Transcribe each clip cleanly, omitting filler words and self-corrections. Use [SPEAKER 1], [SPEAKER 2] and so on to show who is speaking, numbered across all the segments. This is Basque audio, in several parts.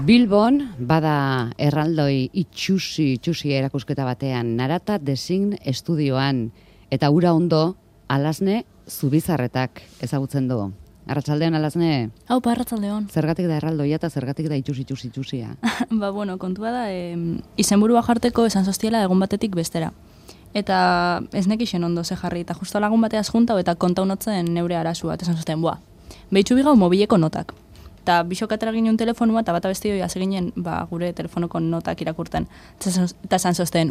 [SPEAKER 1] Bilbon, bada erraldoi itxusi erakusketa batean, Narata Design Estudioan, eta ura ondo, Alasne Zubizarretak ezagutzen du. Arratsaldeon, Alasne?
[SPEAKER 2] Aupa, arratsaldeon.
[SPEAKER 1] Zergatik da erraldoia eta zergatik da itxusia?
[SPEAKER 2] Bueno, kontua da, izenburua jarteko esan zoztiela egun batetik bestera. Eta ez nekixen ondo ze jarri, eta justo lagun bateaz juntau eta kontaunotzen neure arazu bat, esan zozten, behitxu bigau mobileko notak. Eta bisokatera ginen telefonua, eta bata besti hori ginen gure telefonoko notak irakurten. Eta esan zozten,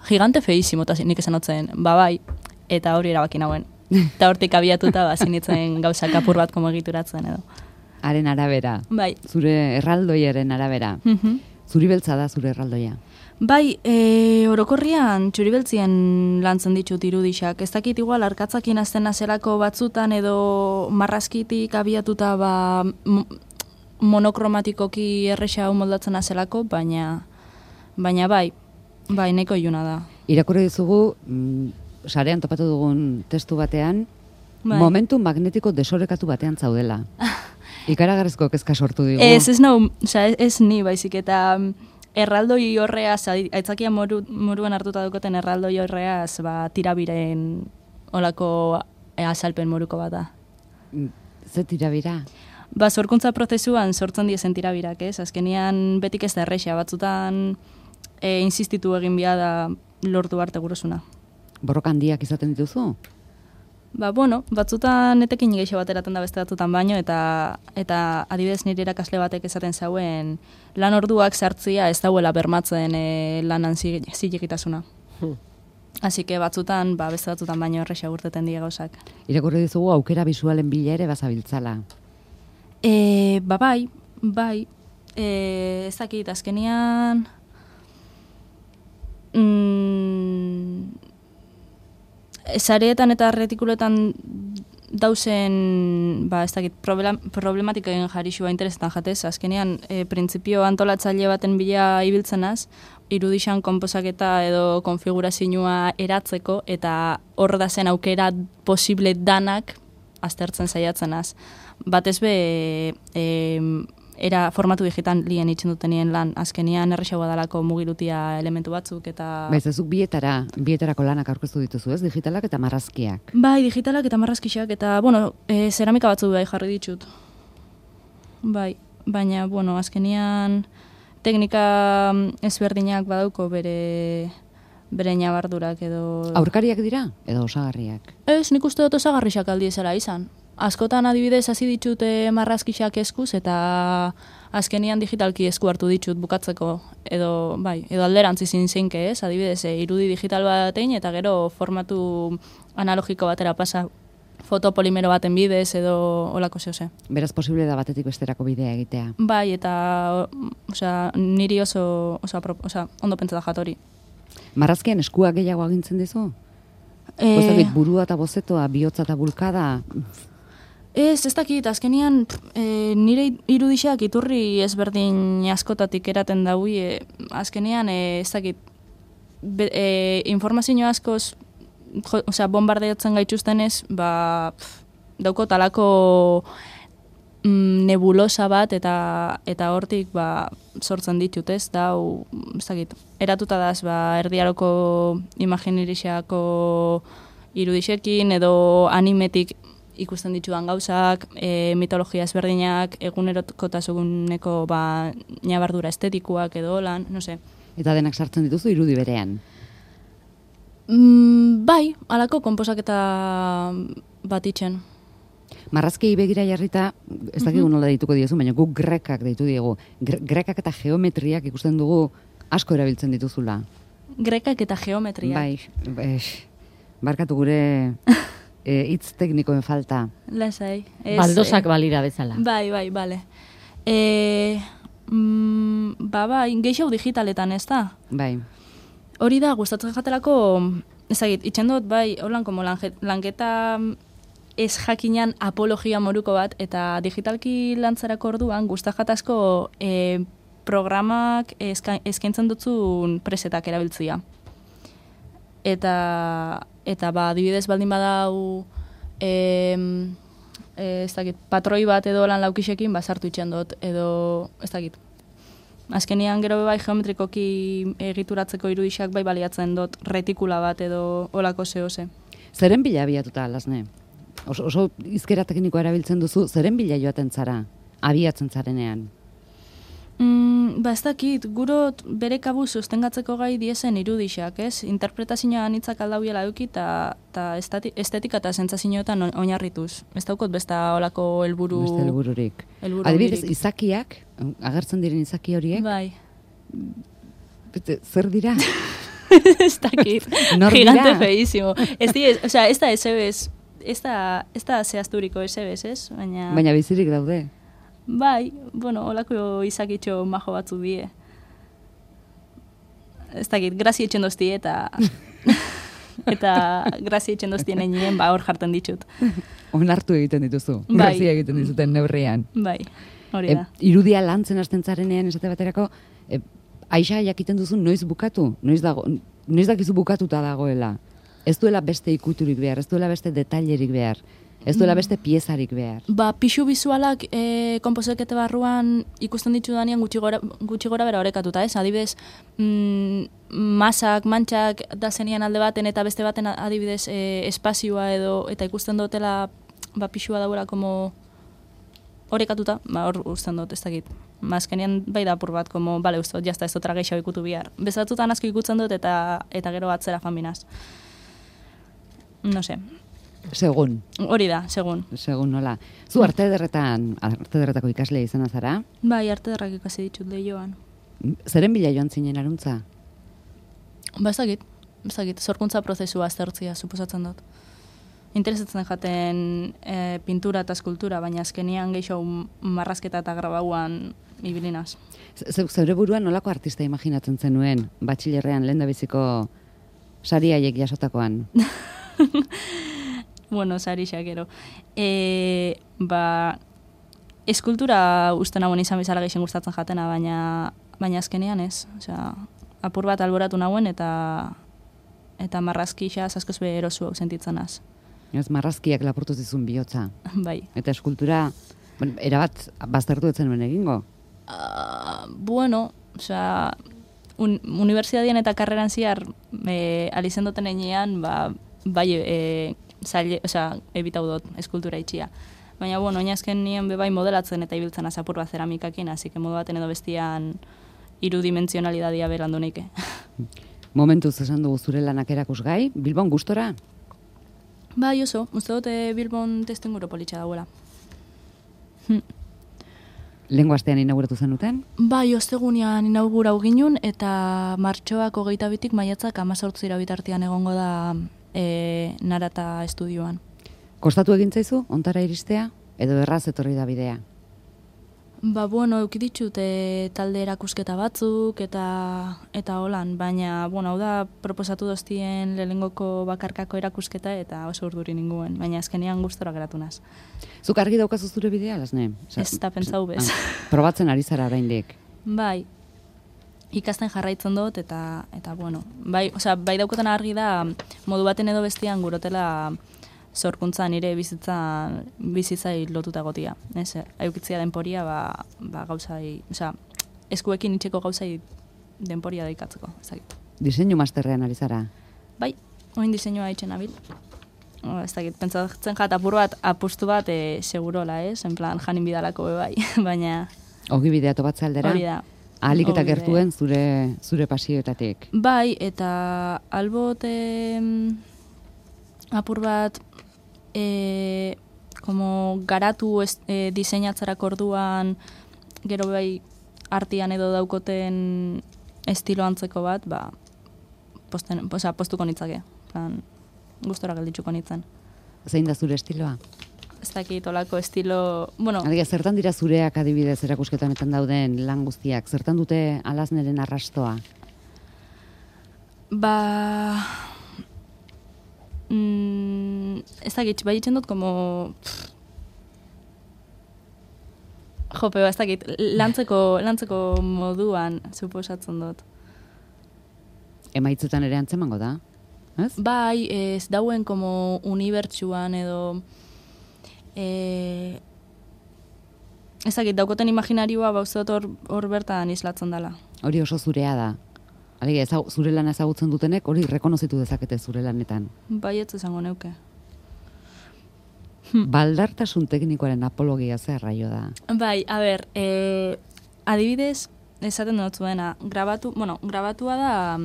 [SPEAKER 2] gigante feísimo, eta nik esan otzen, bai, eta hori erabaki nagoen. Eta hortik abiatuta, zinitzen gauzak apur bat komo egituratzen edo.
[SPEAKER 1] Haren arabera.
[SPEAKER 2] Bai.
[SPEAKER 1] Zure erraldoiaren arabera. Zuri beltza da zure erraldoia.
[SPEAKER 2] Bai, orokorrian txuribeltzien lantzen ditut irudixak. Ez dakit igual arkatzakin azten nazelako batzutan edo marrazkitik abiatuta monokromatikoki erresa hau moldatzen nazelako, baina bai, nahiko iluna da.
[SPEAKER 1] Irakurri dizugu, sarean topatu dugun testu batean, momentu magnetiko desorekatu batean zaudela. Ikaragarrizko kezka sortu digu.
[SPEAKER 2] Ez ni baizik eta erraldoi horreaz, aitzakia moruan hartuta dukoten erraldoi horreaz, tirabiren olako azalpen moruko bat da.
[SPEAKER 1] Ze tirabira?
[SPEAKER 2] Sorkuntza prozesuan sortzen diezen tirabirak, ez? Azkenian betik ez da errexea, batzutan insistitu egin bia da lortu arte gurosuna.
[SPEAKER 1] Borroka handiak izaten dituzu?
[SPEAKER 2] Batzutan etekin geixo bat eraten da beste batzutan baino, eta adibidez nire irakasle batek esaten zauen lan orduak sartzia ez dauela bermatzen lanan zilegitasuna. Así que beste batzutan baino erresa urteten die gauzak.
[SPEAKER 1] Irakurri dizugu aukera bisualen bila ere bazabiltzala.
[SPEAKER 2] Bai. Ez dakit, azkenian sareetan eta retikuletan dauzen, ez dakit, problematikoen jarixua interesetan jatez, azkenean printzipio antolatzaile baten bila ibiltzenaz, irudixan konposaketa edo konfigurazioa eratzeko, eta hor da zen aukera posible danak aztertzen saiatzenaz. Batez be, era formatu digital lien itxen dutenien lan, azkenian errexagoa dalako mugirutia elementu batzuk, eta...
[SPEAKER 1] Ezuk bietarako lanak aurkeztu dituzu, ez? Digitalak eta marrazkiak.
[SPEAKER 2] Bai, digitalak eta marrazkiak, eta, zeramika batzu jarri ditut. Bai, baina, azkenian teknika ezberdinak badauko bere nabardurak edo...
[SPEAKER 1] Aurkariak dira, edo osagarriak?
[SPEAKER 2] Ez, nik uste dut osagarriak aldiezela izan. Askotan adibidez hasi ditut marrazkiak eskuz, eta azkenian digitalki esku hartu ditut bukatzeko, edo alderantzi zeinke ez, adibidez irudi digital batein, eta gero formatu analogiko batera pasa fotopolimero baten bidez, edo olako zehose.
[SPEAKER 1] Beraz posible da batetik besterako bidea egitea.
[SPEAKER 2] Bai, eta niri oso ondo pentsata jatori.
[SPEAKER 1] Marrazkian eskuak gehiago agintzen dizu? Burua eta bozetoa, bihotza eta bulkada...
[SPEAKER 2] Ez dakit, azkenian nire irudixak iturri ezberdin askotatik eraten daui, azkenian ez dakit, informazio askoz, bombardeatzen gaituztenez, dauko talako nebulosa bat eta hortik sortzen ditut, ez dakit, eratuta daz erdiaroko imaginirixako irudixekin edo animetik ikusten ditudan gauzak, mitologia ezberdinak, egunerokotasuneko nabardura estetikoak edo lan, no se.
[SPEAKER 1] Eta denak sartzen dituzu irudi berean?
[SPEAKER 2] Bai, halako konposaketa bat itxen.
[SPEAKER 1] Marrazki begira jarrita, ez dakigu nola deituko diezu, baina guk grekak deitu diegu. Grekak eta geometriak ikusten dugu asko erabiltzen dituzula.
[SPEAKER 2] Grekak eta geometriak?
[SPEAKER 1] Bai, barkatu gure... hitz teknikoen falta.
[SPEAKER 2] Lasai.
[SPEAKER 3] Baldosak balira bezala.
[SPEAKER 2] Bai, bale. Geixau digitaletan, ez da?
[SPEAKER 1] Bai.
[SPEAKER 2] Hori da, gustatzen jatelako, ezagit, itxen dut, holan como lanketa ez jakinan apologia moruko bat, eta digitalki lantzarako orduan, gustajatazko programak eskaintzen dutzun presetak erabiltzia. Eta adibidez baldin badau ez dakit, patroi bat edo lan laukixekin sartu itxen dut, edo ez dakit. Azkenian gero bai geometrikoki egituratzeko irudixak bai baliatzen dut retikula bat edo olako zehose.
[SPEAKER 1] Zeren bila abiatuta, Lasne? Oso hizkera teknikoa erabiltzen duzu, zeren bila joaten zara, abiatzen zarenean?
[SPEAKER 2] Ez dakit, gurot bere kabuz sostengatzeko gai diesen irudixak, ez? Interpretazioa anitzak aldauiela eduki eta estetika eta sentsazioetan oinarrituz. Ez daukot beste olako helburu...
[SPEAKER 1] Beste helbururik. Adibidez, izakiak, agertzen diren izaki horiek?
[SPEAKER 2] Bai.
[SPEAKER 1] Zer dira?
[SPEAKER 2] Ez dakit. Gigante feísimo. Ez da esebez, ez da zehazturiko esebez, ez?
[SPEAKER 1] Baina bizirik daude.
[SPEAKER 2] Bai, holako izakitxo majo batzu die. Ez dakit, grazia etxen dozti eta grazia etxen doztien egin hor jartzen ditut.
[SPEAKER 1] Onartu egiten dituzu, grazia egiten dizuten neurrian.
[SPEAKER 2] Bai, hori da.
[SPEAKER 1] Irudia lantzen hasten zarenean esate baterako, aixa jakiten duzu noiz bukatu, noiz dakizu bukatuta dagoela. Ez duela beste ikuturik behar, ez duela beste detailerik behar. Ez duela beste piezarik behar.
[SPEAKER 2] Pixu bizualak konposekete barruan ikusten ditu danean gutxi gora bera orekatuta, ez? Adibidez, masak, mantxak da zenian alde baten eta beste baten adibidez espazioa edo eta ikusten dutela pixua dauela como orekatuta, hor usten dut, ez dakit. Azkenean bai da apur bat, como, bale, uste dut, jazta ez dut geixau ikutu bihar. Bezatzutan asko ikutzen dut eta gero atzera fanbinaz. No sé.
[SPEAKER 1] Segun.
[SPEAKER 2] Hori da, segun.
[SPEAKER 1] Segun nola. Zu arte ederretako ikaslea izan zara?
[SPEAKER 2] Bai, arte ederrak ikasi ditut lehioan.
[SPEAKER 1] Zeren bila joan zinen aruntza?
[SPEAKER 2] Ez dakit, sorkuntza prozesua aztertzia suposatzen dut. Interesatzen jaten pintura eta eskultura, baina azkenian gehiago marrazketa eta grabauan ibilinaz.
[SPEAKER 1] Zeure buruan nolako artista imaginatzen zenuen, batxilerrean lehendabiziko sari haiek jasotakoan?
[SPEAKER 2] Sari xakero. Eskultura uste nagoen izan bezala gehien gustatzen jatena, baina azkenean ez. Apur bat alboratu nagoen eta marrazki xaz askoz be erosu hau sentitzen az.
[SPEAKER 1] Ez marrazkiak lapurtu zizun bihotza.
[SPEAKER 2] Bai.
[SPEAKER 1] Eta eskultura, erabat baztertu etzen nuen egingo?
[SPEAKER 2] Unibertsitatien eta karreran ziar alizen duten enean, bai, ebitau dut eskultura itxia. Baina, oinazken nien bebai modelatzen eta ibiltzen azapur bat zeramikakin, hasik modu baten edo bestian irudimentzionalidadia berandu neike.
[SPEAKER 1] Momentuz esan dugu zure lanak erakusgai, Bilbon gustora?
[SPEAKER 2] Bai, oso, uste dute Bilbon testu inguru politxa dauela.
[SPEAKER 1] Lehengo astean inauguratu zenuten?
[SPEAKER 2] Bai, ostegunean inaugurau ginun eta martxoak 22-tik maiatzak 18 bitartean egongo da Narata estudioan.
[SPEAKER 1] Kostatu egin zaizu, ontara iristea? Edo erraz etorri da bidea?
[SPEAKER 2] Euki ditut talde erakusketa batzuk eta holan, baina, hau da proposatu doztien lehengoko bakarkako erakusketa eta oso urduri ninguen, baina azkenean gustora geratu naz.
[SPEAKER 1] Zuk argi daukazu zure bidea, Lasne?
[SPEAKER 2] Ez da pentsau bez.
[SPEAKER 1] Probatzen ari zara oraindik.
[SPEAKER 2] Bai, ikasten jarraitzen dut eta bai daukotan argi da modu baten edo bestian gurotela zorkuntza nire bizitzai lotuta gotia. Aukitzia denporia, gauzai, eskuekin itxeko gauzai denporia daikatzeko.
[SPEAKER 1] Diseinu masterrean ari zara?
[SPEAKER 2] Bai, oin diseinua itxen abil. Pentsatzen jat apur bat, apustu bat segurola, en plan, janin bidalako bai, baina...
[SPEAKER 1] Ogi bidea tobatze aldera?
[SPEAKER 2] Hori da.
[SPEAKER 1] Ahalik eta gertuen zure pasioetatik?
[SPEAKER 2] Bai, eta albot apur bat garatu diseinatzarako orduan gero bai artian edo daukoten estilo antzeko bat, postuko nitzake. Gustora gelditzuko nitzen.
[SPEAKER 1] Zein da zure estiloa?
[SPEAKER 2] Ez dakit olako estilo...
[SPEAKER 1] Zertan dira zureak adibidez erakusketanetan dauden lan guztiak? Zertan dute Lasneren arrastoa?
[SPEAKER 2] Ez dakit, bai itxen dut, ez dakit, lantzeko moduan, suposatzen dut.
[SPEAKER 1] Emaitzetan ere antzemango da, ez?
[SPEAKER 2] Bai, ez dauen unibertsuan edo ezagit, daukoten imaginarioa bauzot hor bertan islatzen dela.
[SPEAKER 1] Hori oso zurea da. Alegia, zure lana ezagutzen dutenek hori rekonozitu dezakete zure lanetan.
[SPEAKER 2] Baietz esango neuke.
[SPEAKER 1] Baldartasun teknikoaren apologia zer raio da.
[SPEAKER 2] Bai, a ber, adibidez, esaten dut zuena, grabatua da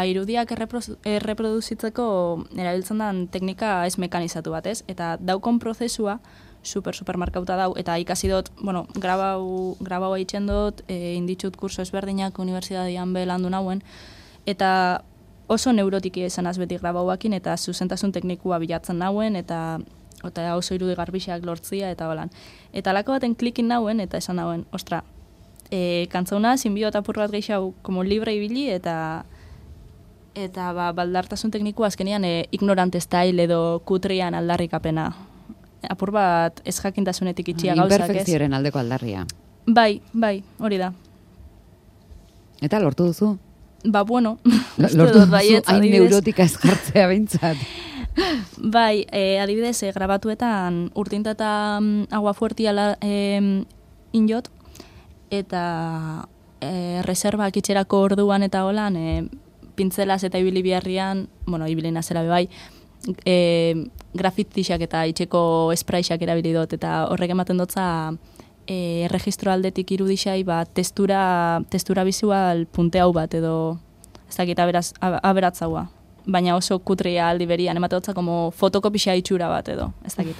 [SPEAKER 2] irudiak erreproduzitzeko erabiltzen den teknika ez mekanizatu bat, ez? Eta daukon prozesua super markauta dau, eta ikasi dut, grabau haitzen dut, inditxut kurso ezberdinak unibertsitatean belandu nauen, eta oso neurotiki esanaz beti grabauakin, eta zuzentasun teknikua bilatzen nauen, eta oso irudi garbixak lortzia, eta holan. Eta alako baten klikin nauen, eta esan nauen, ostra, kantzauna, zinbio eta apur bat gehiago, como libre ibili, eta baldartasun teknikua azkenian ignorante style edo kutrian aldarrikapena. Apur bat ez jakintasunetik itxia gauzak, ez?
[SPEAKER 1] Imperfekzioaren aldeko aldarria.
[SPEAKER 2] Bai, hori da.
[SPEAKER 1] Eta lortu duzu?
[SPEAKER 2] Bueno,
[SPEAKER 1] lortu duzu hain neurotika ez jartzea behintzat.
[SPEAKER 2] Bai, adibidez, grabatuetan urtinta eta agua fuertia injot, eta reservak itxerako orduan eta holan, pintzelaz eta ibili biharrian, ibili nazera bebai, grafitixak eta itxeko espraixak erabili dut, eta horrek ematen dutza erregistro aldetik irudixai testura bizual punte hau bat, edo ez dakit aberatzaua. Baina oso kutria aldi berian, ematen dutza como fotokopisa itxura bat edo, ez dakit.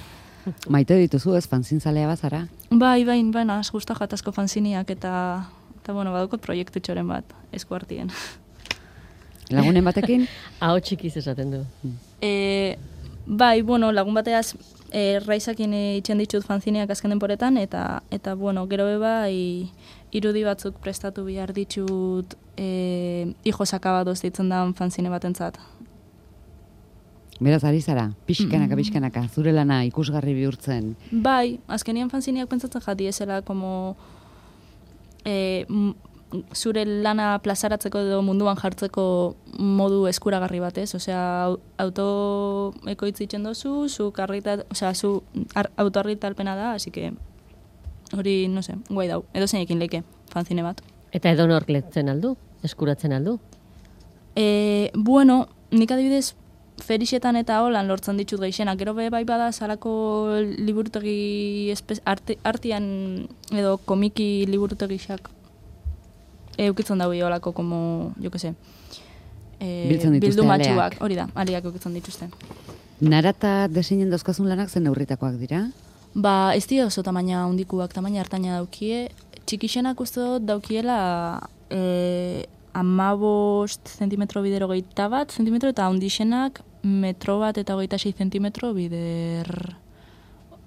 [SPEAKER 1] Maite dituzu ez fanzinzalea bazara?
[SPEAKER 2] Bai, az gusta jatazko fanziniak eta badukot proiektu txoren bat, esku hartien.
[SPEAKER 1] Lagunen batekin?
[SPEAKER 3] Aho txikiz esaten du.
[SPEAKER 2] Bai, lagun bateaz raizakin itxen ditut fanzineak azken denporetan, eta gero bai irudi batzuk prestatu behar ditut hijo sakabadoz ditzen da fanzine batentzat.
[SPEAKER 1] Beraz, ari zara, pixkanaka, zure lana ikusgarri bihurtzen.
[SPEAKER 2] Bai, azkenian fanzineak pentsatzen jati ezela, como zure lana plazaratzeko edo munduan jartzeko modu eskuragarri batez, osea, autoekoitzitzen dozu, zu autoargitalpena da, así que hori, no sé, guai dau, edo zeinekin leike, fanzine bat.
[SPEAKER 3] Eta edo nork letzen aldu, eskuratzen aldu?
[SPEAKER 2] Nik adibidez, ferixetan eta holan lortzen ditut geixenak, gero bai bada salako liburutegi artian edo komiki liburutegiak eukitzen dago holako, como, jo que se, bildu matxuak, hori da, aliak eukitzen dituzte.
[SPEAKER 1] Narata deseinen dauzkazun lanak zen neurritakoak dira?
[SPEAKER 2] Ez dira oso tamaina handikuak, tamaina hartaina daukie, txikixenak uste dut daukiela 15 zentimetro bider 21 zentimetro, eta handixenak metro bat eta 26 zentimetro bider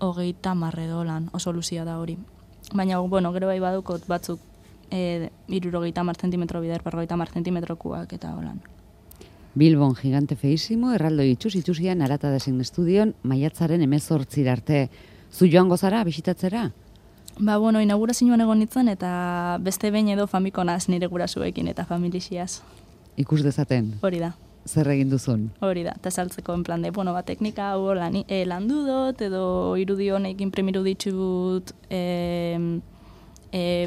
[SPEAKER 2] 30 edo lan, oso luzia da hori. Baina, gero bai badukot batzuk 70 zentimetro bider 50 zentimetrokuak eta holan.
[SPEAKER 1] Bilbon gigante feísimo, erraldoi itxusian Narata Design Studion, maiatzaren 18 arte. Zu joango zara, bisitatzera?
[SPEAKER 2] Inaugurazioan egon nintzen, eta beste behin edo famikonaz nire gurasuekin eta familixiaz.
[SPEAKER 1] Ikus dezaten?
[SPEAKER 2] Hori da.
[SPEAKER 1] Zer egin duzun?
[SPEAKER 2] Hori da, eta saltzeko en plan de, teknika hau landu dut, edo irudi honek imprimiru ditut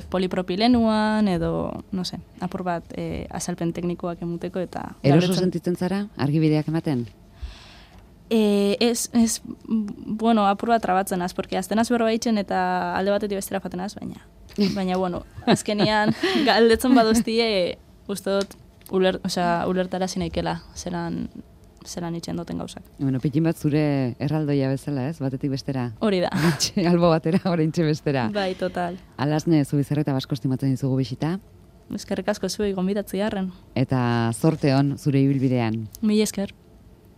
[SPEAKER 2] polipropilenuan, edo, no se, apur bat azalpen teknikoak emuteko eta...
[SPEAKER 1] Eroso sentitzen zara, argibideak ematen?
[SPEAKER 2] Apur bat trabatzen az, porque aztenaz berroa itxen eta alde batetik bestera faten az, baina, azkenian galdetzen baduztie, uste dut, ulertara zinaikela, zelan itxen duten gauzak.
[SPEAKER 1] Pitin bat zure erraldoia bezala, ez? Batetik bestera.
[SPEAKER 2] Hori da.
[SPEAKER 1] Albo batera, oraintxe bestera.
[SPEAKER 2] Bai, total.
[SPEAKER 1] Alasne, Zubizarreta Basko estimatzen dizugu bisita.
[SPEAKER 2] Eskerrik asko zuei gonbidatzi harren.
[SPEAKER 1] Eta zorte on zure ibilbidean.
[SPEAKER 2] Mila esker.